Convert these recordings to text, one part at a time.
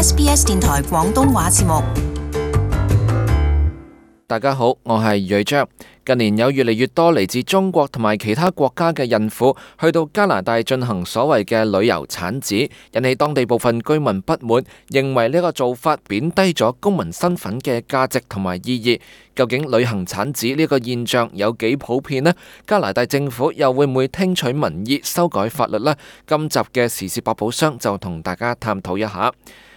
SBS 電台廣東話節目。大家好，我係瑞章。近年有越嚟越多嚟自中國同埋其他國家嘅孕婦去到加拿大進行所謂嘅旅遊產子，引起當地部分居民不滿，認為呢個做法貶低咗公民身份嘅價值同埋意義。究竟旅行產子呢個現象有幾普遍呢？加拿大政府又會唔會聽取民意修改法律呢？今集嘅時事百寶箱就同大家探討一下。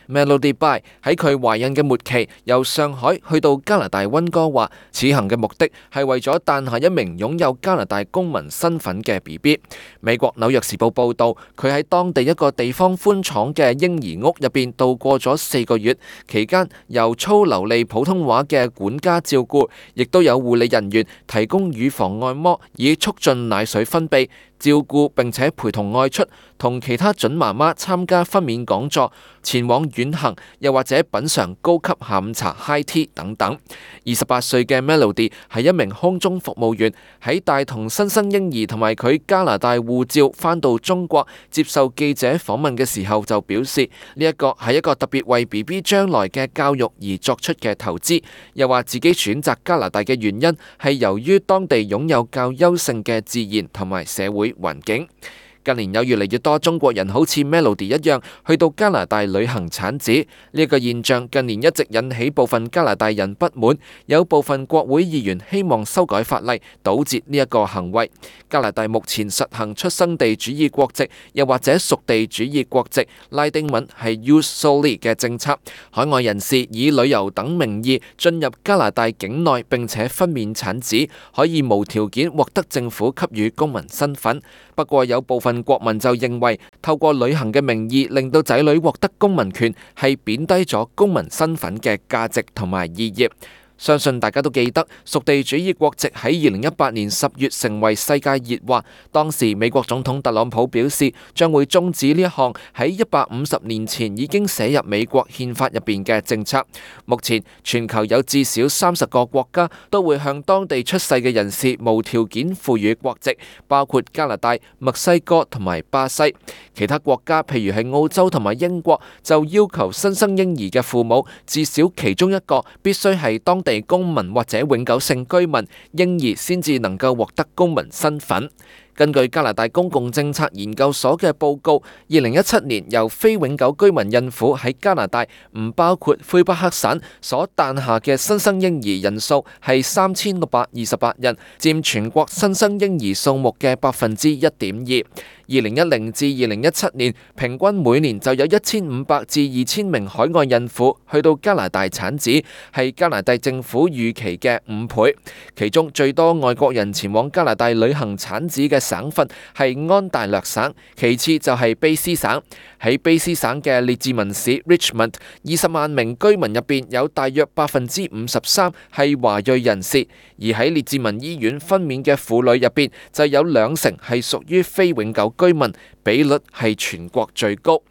Melody Bai 喺佢懷孕嘅末期，由上海去到加拿大溫哥華，此行嘅目的係為咗誕下一名擁有加拿大公民身份嘅 BB。美國紐約時報報道，佢喺當地一個地方寬敞嘅嬰兒屋入邊度過咗4個月，期間由操流利普通話嘅管家照顧，亦都有護理人員提供乳房按摩，以促進奶水分泌。照顧並且陪同外出，同其他準媽媽參加分娩講座，前往遠行，又或者品嚐高級下午茶 High Tea 等等。28歲嘅 Melody 係一名空中服務員，喺帶同新生嬰兒同埋佢加拿大護照返到中國接受記者訪問嘅時候就表示，呢一個係一個特別為 BB 將來嘅教育而作出嘅投資，又話自己選擇加拿大嘅原因係由於當地擁有較優勝嘅自然同埋社會環境。近年有越嚟越多中國人好似 Melody 一樣去到加拿大旅行產子，呢一個現象近年一直引起部分加拿大人不滿，有部分國會議員希望修改法例，堵截呢一個行為。加拿大目前實行出生地主義國籍，又或者屬地主義國籍，拉丁文係 Jus Soli 嘅政策，海外人士以旅遊等名義進入加拿大境內並且分娩產子，可以無條件獲得政府給予公民身份。不過有部分國民就認為，透過旅行嘅名義令到仔女獲得公民權，係貶低咗公民身份嘅價值同埋意義。相信大家都記得，屬地主義國籍喺2018年10月成為世界熱話。當時美國總統特朗普表示，將會終止呢一項喺150年前已經寫入美國憲法入邊嘅政策。目前全球有至少30個國家都會向當地出世嘅人士無條件賦予國籍，包括加拿大、墨西哥同埋巴西。其他國家譬如係澳洲同埋英國，就要求新生嬰兒嘅父母至少其中一個必須係當地公民或者永久性居民，嬰兒先至能夠獲得公民身份。根據加拿大公共政策研究所嘅報告，2017年由非永久居民孕婦喺加拿大唔包括魁北克省所誕下嘅新生嬰兒人數係3628人，佔全國新生嬰兒數目嘅1.2%。2010至2017年，平均每年就有1500至2000名海外孕婦去到加拿大產子，係加拿大政府預期嘅5倍。其中最多外國人前往加拿大旅行產子嘅省份係安大略省，其次就係卑斯省。喺卑斯省嘅列治文市 Richmond， 20萬名居民入邊有大約53%係華裔人士，而喺列治文醫院分娩嘅婦女入邊就有20%係屬於非永久居民，比率係全國最高。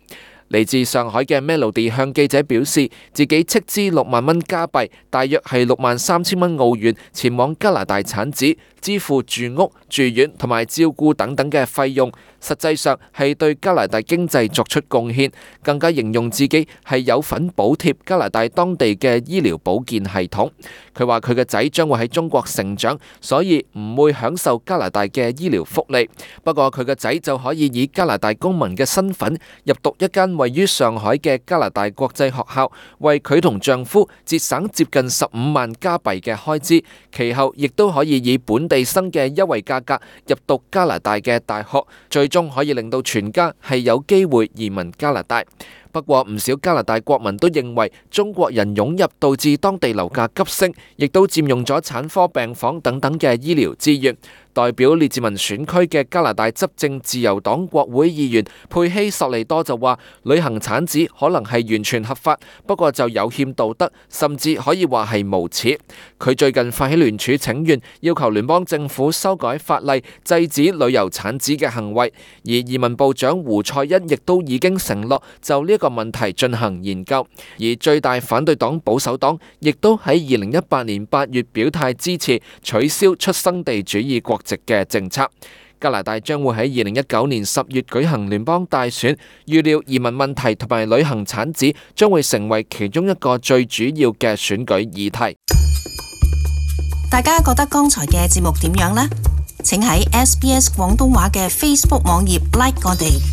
嚟自上海嘅 Melody 向記者表示，自己斥資6萬蚊加幣，大約係63000蚊澳元，前往加拿大產子，支付住屋、住院同埋照顧等等嘅費用，實際上係對加拿大經濟作出貢獻，更加形容自己係有份補貼加拿大當地嘅醫療保健系統。佢話佢嘅仔將會喺中國成長，所以唔會享受加拿大嘅醫療福利。不過佢嘅仔就可以以加拿大公民嘅身份入讀一間位於上海嘅加拿大國際學校，為佢同丈夫節省接近15萬加幣嘅開支。其後亦都可以以本地生嘅優惠價格入讀加拿大嘅大學，最終可以令到全家係有機會移民加拿大。不過唔少加拿大國民都認為中國人湧入導致當地樓價急升，亦都佔用咗產科病房等等嘅醫療資源。代表列治文選區嘅加拿大執政自由黨國會議員佩希索利多就話，旅行產子可能係完全合法，不過就有欠道德，甚至可以話係無恥。佢最近發起聯署請願，要求聯邦政府修改法例，制止旅遊產子嘅行為。而移民部長胡塞恩亦都已經承諾就呢個問題進行研究。而最大反對黨保守黨亦都喺2018年8月表態支持取消出生地主義國籍嘅政策。加拿大將會喺2019年10月舉行聯邦大選，預料移民問題同埋旅行產子將會成為其中一個最主要嘅選舉議題。大家覺得剛才嘅節目點樣呢？請喺SBS 廣東話嘅 Facebook 網頁 like 我哋。